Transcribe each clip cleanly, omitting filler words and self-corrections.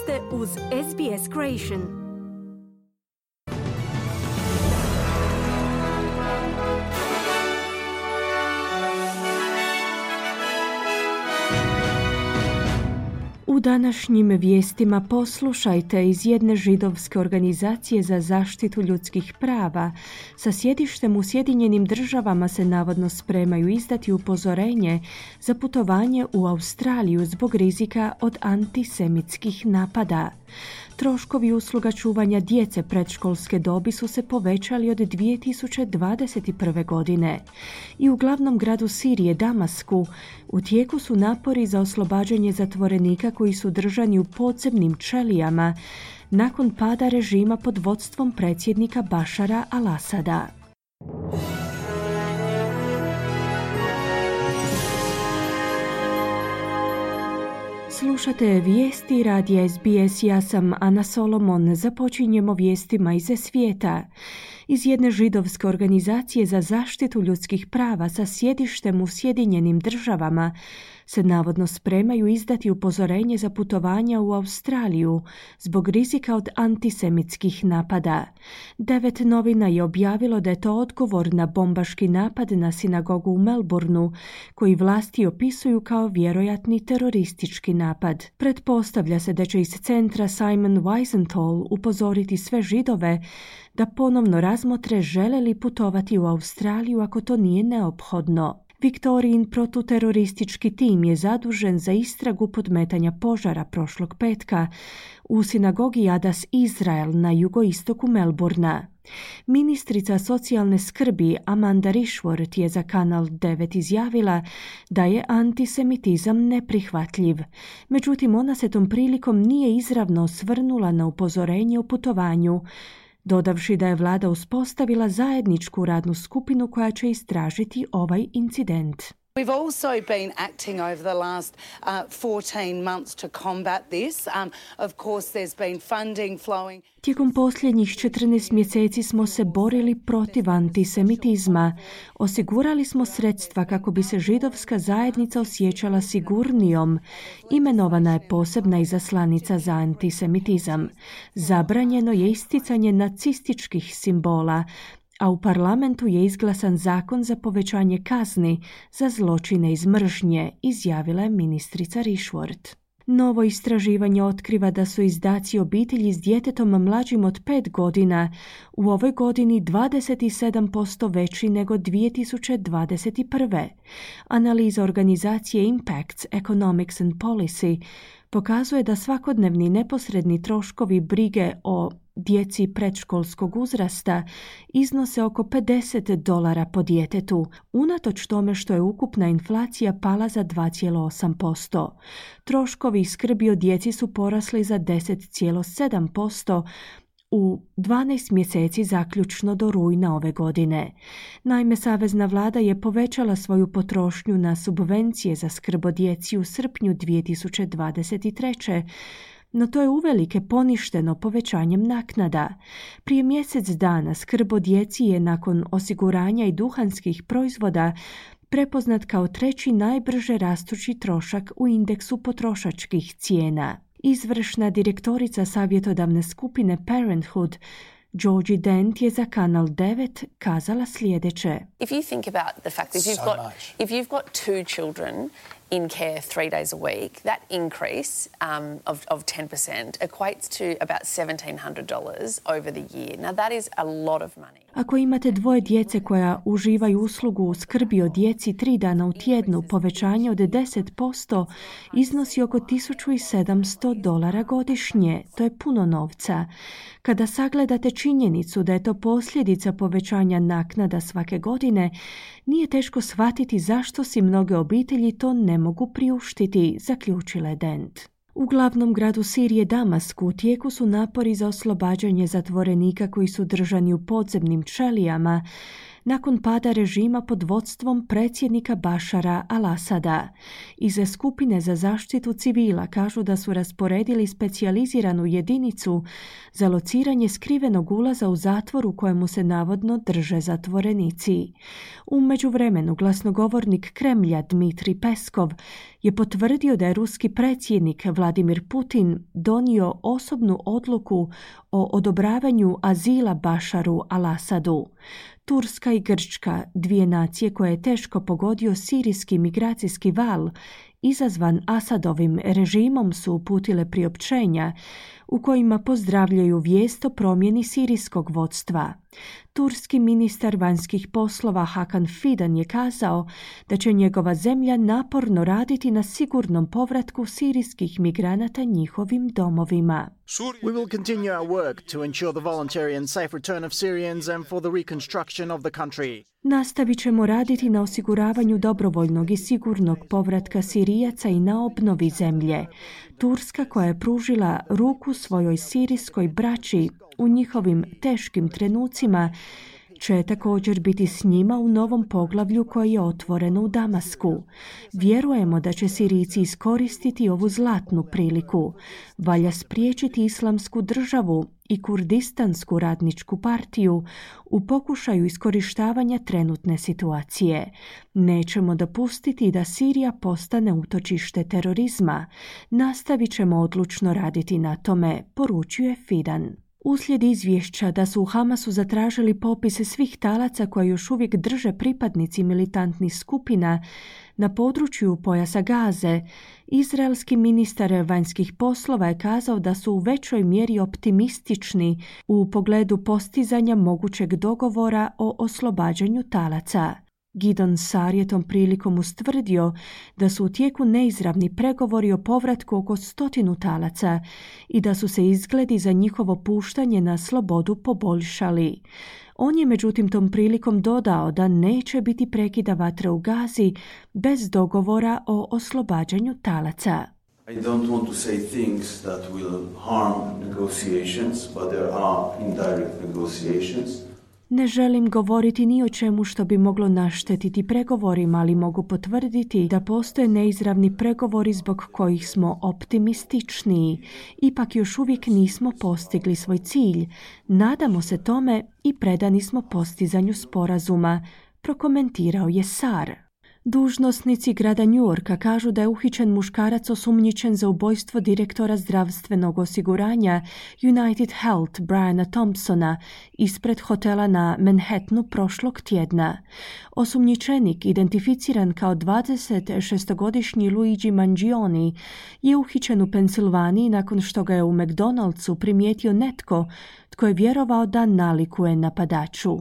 ste uz SBS Creation. U današnjim vijestima poslušajte iz jedne židovske organizacije za zaštitu ljudskih prava sa sjedištem u Sjedinjenim Državama se navodno spremaju izdati upozorenje za putovanje u Australiju zbog rizika od antisemitskih napada. Troškovi usluga čuvanja djece predškolske dobi su se povećali od 2021. godine. I u glavnom gradu Sirije, Damasku, u tijeku su napori za oslobađanje zatvorenika koji su držani u podzemnim ćelijama nakon pada režima pod vodstvom predsjednika Bašara al-Asada. Slušate vijesti radija SBS, ja sam Ana Solomon. Započinjemo vijestima iz svijeta. Iz jedne židovske organizacije za zaštitu ljudskih prava sa sjedištem u Sjedinjenim Državama se navodno spremaju izdati upozorenje za putovanja u Australiju zbog rizika od antisemitskih napada. 9 novina je objavilo da je to odgovor na bombaški napad na sinagogu u Melbourneu, koji vlasti opisuju kao vjerojatni teroristički napad. Pretpostavlja se da će iz centra Simon Wiesenthal upozoriti sve Židove da ponovno razmotre žele li putovati u Australiju ako to nije neophodno. Viktorijin protuteroristički tim je zadužen za istragu podmetanja požara prošlog petka u sinagogi Adas Izrael na jugoistoku Melbournea. Ministrica socijalne skrbi Amanda Rishworth je za Kanal 9 izjavila da je antisemitizam neprihvatljiv. Međutim, ona se tom prilikom nije izravno osvrnula na upozorenje o putovanju, dodavši da je vlada uspostavila zajedničku radnu skupinu koja će istražiti ovaj incident. We've also been acting over the last 14 months to combat this. Of course, there's been funding flowing. Tijekom posljednjih 14 mjeseci smo se borili protiv antisemitizma. Osigurali smo sredstva kako bi se židovska zajednica osjećala sigurnijom. Imenovana je posebna izaslanica za antisemitizam. Zabranjeno je isticanje nacističkih simbola, a u parlamentu je izglasan zakon za povećanje kazni za zločine iz mržnje, izjavila je ministrica Rishworth. Novo istraživanje otkriva da su izdaci obitelji s djetetom mlađim od 5 godina u ovoj godini 27% veći nego 2021. Analiza organizacije Impacts Economics and Policy pokazuje da svakodnevni neposredni troškovi brige o djeci predškolskog uzrasta iznose oko $50 po djetetu, unatoč tome što je ukupna inflacija pala za 2,8%. Troškovi skrbi o djeci su porasli za 10,7% u 12 mjeseci zaključno do rujna ove godine. Naime, Savezna vlada je povećala svoju potrošnju na subvencije za skrb o djeci u srpnju 2023. No to je uvelike poništeno povećanjem naknada. Prije mjesec dana skrb o djeci je nakon osiguranja i duhanskih proizvoda prepoznat kao 3. najbrže rastući trošak u indeksu potrošačkih cijena. Izvršna direktorica savjetodavne skupine Parenthood, Georgie Dent, je za Kanal 9 kazala sljedeće. If you think about the fact that if you've got 2 children in care 3 days a week, that increase of 10% equates to about $1,700 over the year. Now that is a lot of money. Ako imate 2 djece koja uživaju uslugu skrbi o djeci 3 dana u tjednu, povećanje od 10% iznosi oko $1,700 godišnje. To je puno novca. Kada sagledate činjenicu da je to posljedica povećanja naknada svake godine, nije teško shvatiti zašto si mnoge obitelji to ne mogu priuštiti, zaključila je Dent. U glavnom gradu Sirije, Damasku, u tijeku su napori za oslobađanje zatvorenika koji su držani u podzemnim ćelijama nakon pada režima pod vodstvom predsjednika Bašara al-Asada. Iz skupine za zaštitu civila kažu da su rasporedili specijaliziranu jedinicu za lociranje skrivenog ulaza u zatvor u kojemu se navodno drže zatvorenici. U međuvremenu glasnogovornik Kremlja Dmitrij Peskov je potvrdio da je ruski predsjednik Vladimir Putin donio osobnu odluku o odobravanju azila Bašaru al-Asadu. Turska i Grčka, dvije nacije koje je teško pogodio sirijski migracijski val, izazvan Asadovim režimom, su uputile priopćenja u kojima pozdravljaju vijest o promjeni sirijskog vodstva. Turski ministar vanjskih poslova Hakan Fidan je kazao da će njegova zemlja naporno raditi na sigurnom povratku sirijskih migranata njihovim domovima. We will continue our work to ensure the voluntary and safe return of Syrians and for the reconstruction of the country. Nastavit ćemo raditi na osiguravanju dobrovoljnog i sigurnog povratka Sirijaca i na obnovi zemlje. Turska, koja je pružila ruku svojoj sirijskoj braći u njihovim teškim trenucima, će također biti s njima u novom poglavlju koje je otvoreno u Damasku. Vjerujemo da će Sirijci iskoristiti ovu zlatnu priliku. Valja spriječiti Islamsku državu i Kurdistansku radničku partiju u pokušaju iskorištavanja trenutne situacije. Nećemo dopustiti da Sirija postane utočište terorizma. Nastavit ćemo odlučno raditi na tome, poručuje Fidan. Uslijed izvješća da su u Hamasu zatražili popise svih talaca koje još uvijek drže pripadnici militantnih skupina na području pojasa Gaze, izraelski ministar vanjskih poslova je kazao da su u većoj mjeri optimistični u pogledu postizanja mogućeg dogovora o oslobađanju talaca. Gideon Saar je tom prilikom ustvrdio da su u tijeku neizravni pregovori o povratku oko 100 talaca i da su se izgledi za njihovo puštanje na slobodu poboljšali. On je međutim tom prilikom dodao da neće biti prekida vatre u Gazi bez dogovora o oslobađanju talaca. I don't want to say things that will harm negotiations, but there are indirect negotiations. Ne želim govoriti ni o čemu što bi moglo naštetiti pregovorima, ali mogu potvrditi da postoje neizravni pregovori zbog kojih smo optimističniji. Ipak još uvijek nismo postigli svoj cilj. Nadamo se tome i predani smo postizanju sporazuma, prokomentirao je Saar. Dužnosnici grada New Yorka kažu da je uhićen muškarac osumnjičen za ubojstvo direktora zdravstvenog osiguranja United Health Briana Thompsona ispred hotela na Manhattanu prošlog tjedna. Osumnjičenik, identificiran kao 26-godišnji Luigi Mangione, je uhićen u Pensilvaniji nakon što ga je u McDonald'su primijetio netko tko je vjerovao da nalikuje napadaču.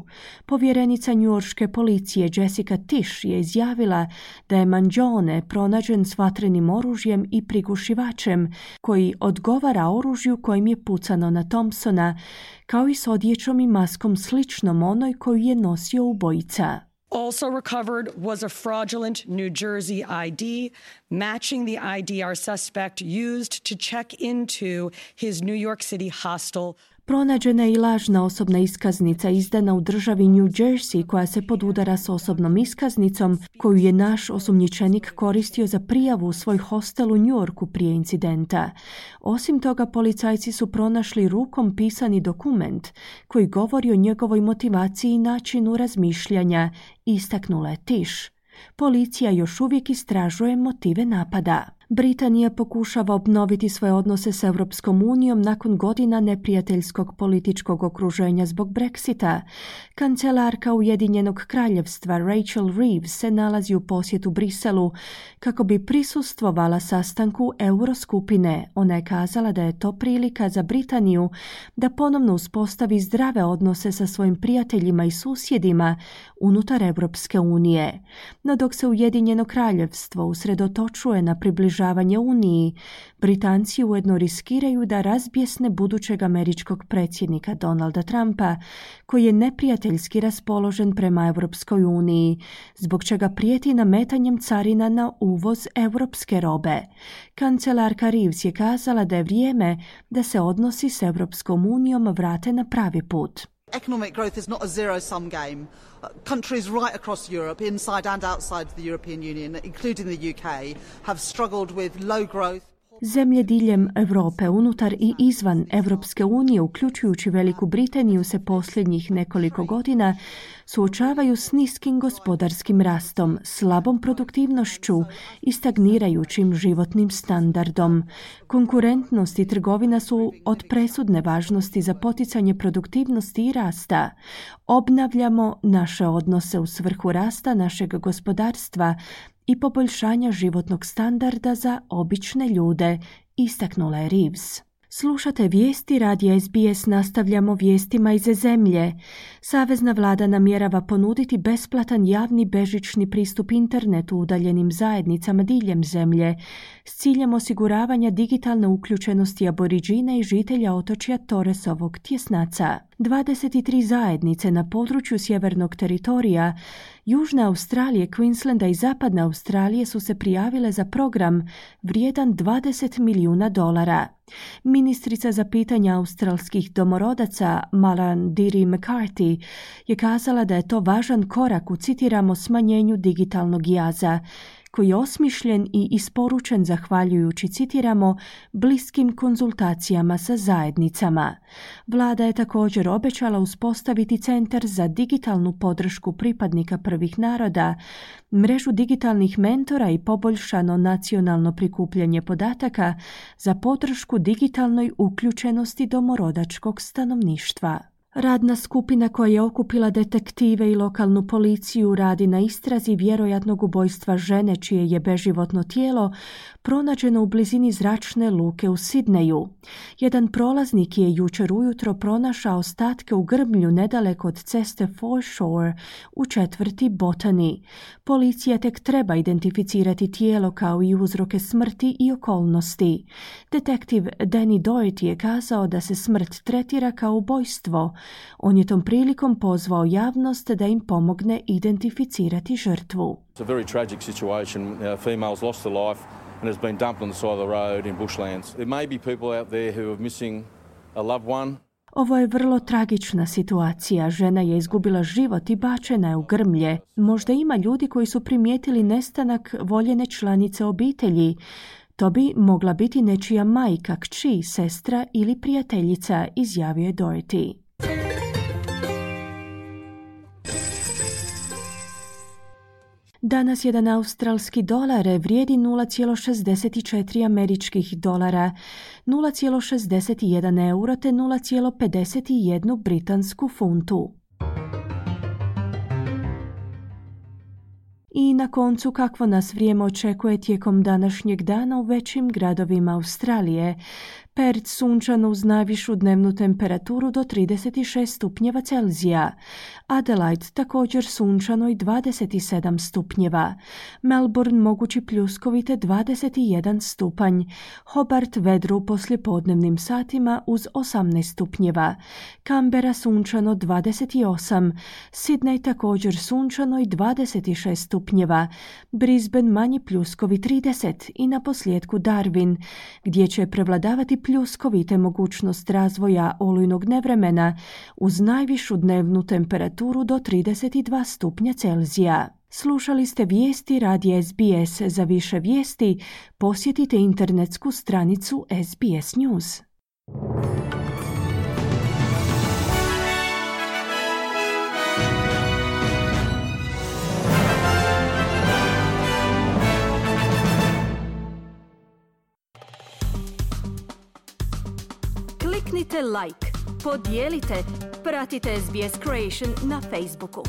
Povjerenica njujorške policije Jessica Tisch je izjavila da je Mangione pronađen s vatrenim oružjem i prigušivačem koji odgovara oružju kojim je pucano na Thompsona, kao i s odjećom i maskom sličnom onoj koju je nosio ubojica. Also recovered was a fraudulent New Jersey ID, matching the ID our suspect used to check into his New York City hostel. Pronađena je i lažna osobna iskaznica izdana u državi New Jersey koja se podudara s osobnom iskaznicom koju je naš osumnjičenik koristio za prijavu u svoj hostel u New Yorku prije incidenta. Osim toga, policajci su pronašli rukom pisani dokument koji govori o njegovoj motivaciji i načinu razmišljanja, istaknula je Tisch. Policija još uvijek istražuje motive napada. Britanija pokušava obnoviti svoje odnose s Europskom unijom nakon godina neprijateljskog političkog okruženja zbog Brexita. Kancelarka Ujedinjenog kraljevstva Rachel Reeves se nalazi u posjetu Briselu kako bi prisustvovala sastanku Euroskupine. Ona je kazala da je to prilika za Britaniju da ponovno uspostavi zdrave odnose sa svojim prijateljima i susjedima unutar Europske unije. No dok se Ujedinjeno kraljevstvo usredotočuje na približavanje Uniji, Britanci ujedno riskiraju da razbjesne budućeg američkog predsjednika Donalda Trumpa, koji je neprijateljski raspoložen prema Europskoj uniji, zbog čega prijeti nametanjem carina na uvoz europske robe. Kancelarka Reeves je kazala da je vrijeme da se odnosi s Europskom unijom vrate na pravi put. Economic growth is not a zero-sum game. Countries right across Europe, inside and outside the European Union, including the UK, have struggled with low growth. Zemlje diljem Europe, unutar i izvan Europske unije, uključujući Veliku Britaniju, se posljednjih nekoliko godina suočavaju s niskim gospodarskim rastom, slabom produktivnošću i stagnirajućim životnim standardom. Konkurentnost i trgovina su od presudne važnosti za poticanje produktivnosti i rasta. Obnavljamo naše odnose u svrhu rasta našeg gospodarstva i poboljšanja životnog standarda za obične ljude, istaknula je Reeves. Slušate vijesti radija SBS, nastavljamo vijestima iz zemlje. Savezna vlada namjerava ponuditi besplatan javni bežični pristup internetu u udaljenim zajednicama diljem zemlje s ciljem osiguravanja digitalne uključenosti aboriđina i žitelja otočja Torresovog tjesnaca. 23 zajednice na području sjevernog teritorija, Južne Australije, Queenslanda i Zapadne Australije su se prijavile za program vrijedan $20 milijuna. Ministrica za pitanja australskih domorodaca Malarndirri McCarthy je kazala da je to važan korak u, citiramo, smanjenju digitalnog jaza, koji je osmišljen i isporučen zahvaljujući, citiramo, bliskim konzultacijama sa zajednicama. Vlada je također obećala uspostaviti centar za digitalnu podršku pripadnika prvih naroda, mrežu digitalnih mentora i poboljšano nacionalno prikupljanje podataka za podršku digitalnoj uključenosti domorodačkog stanovništva. Radna skupina koja je okupila detektive i lokalnu policiju radi na istrazi vjerojatnog ubojstva žene čije je beživotno tijelo pronađeno u blizini zračne luke u Sidneju. Jedan prolaznik je jučer ujutro pronašao ostatke u grmlju nedaleko od ceste Foreshore u četvrti Botany. Policija tek treba identificirati tijelo kao i uzroke smrti i okolnosti. Detektiv Danny Doherty je kazao da se smrt tretira kao ubojstvo. On je tom prilikom pozvao javnost da im pomogne identificirati žrtvu. It's a very tragic situation. Female's lost her life and has been dumped on the side of the road in bushlands. There may be people out there who are missing a loved one. Ovo je vrlo tragična situacija. Žena je izgubila život i bačena je u grmlje. Možda ima ljudi koji su primijetili nestanak voljene članice obitelji. To bi mogla biti nečija majka, kći, sestra ili prijateljica, izjavio je Doherty. Danas jedan australski dolar vrijedi 0,64 američkih dolara, 0,61 euro te 0,51 britansku funtu. I na koncu, kakvo nas vrijeme očekuje tijekom današnjeg dana u većim gradovima Australije. Perth sunčano uz najvišu dnevnu temperaturu do 36 stupnjeva Celzija. Adelaide također sunčano i 27 stupnjeva. Melbourne mogući pljuskovi te 21 stupanj. Hobart vedro u poslijepodnevnim satima uz 18 stupnjeva. Canberra sunčano 28. Sydney također sunčano i 26 stupnjeva. Brisbane manji pljuskovi 30 i na posljedku Darwin, gdje će prevladavati pljuskovite mogućnost razvoja olujnog nevremena uz najvišu dnevnu temperaturu do 32 stupnja Celzija. Slušali ste vijesti radija SBS. Za više vijesti posjetite internetsku stranicu SBS News. Kliknite like, podijelite, pratite SBS Creation na Facebooku.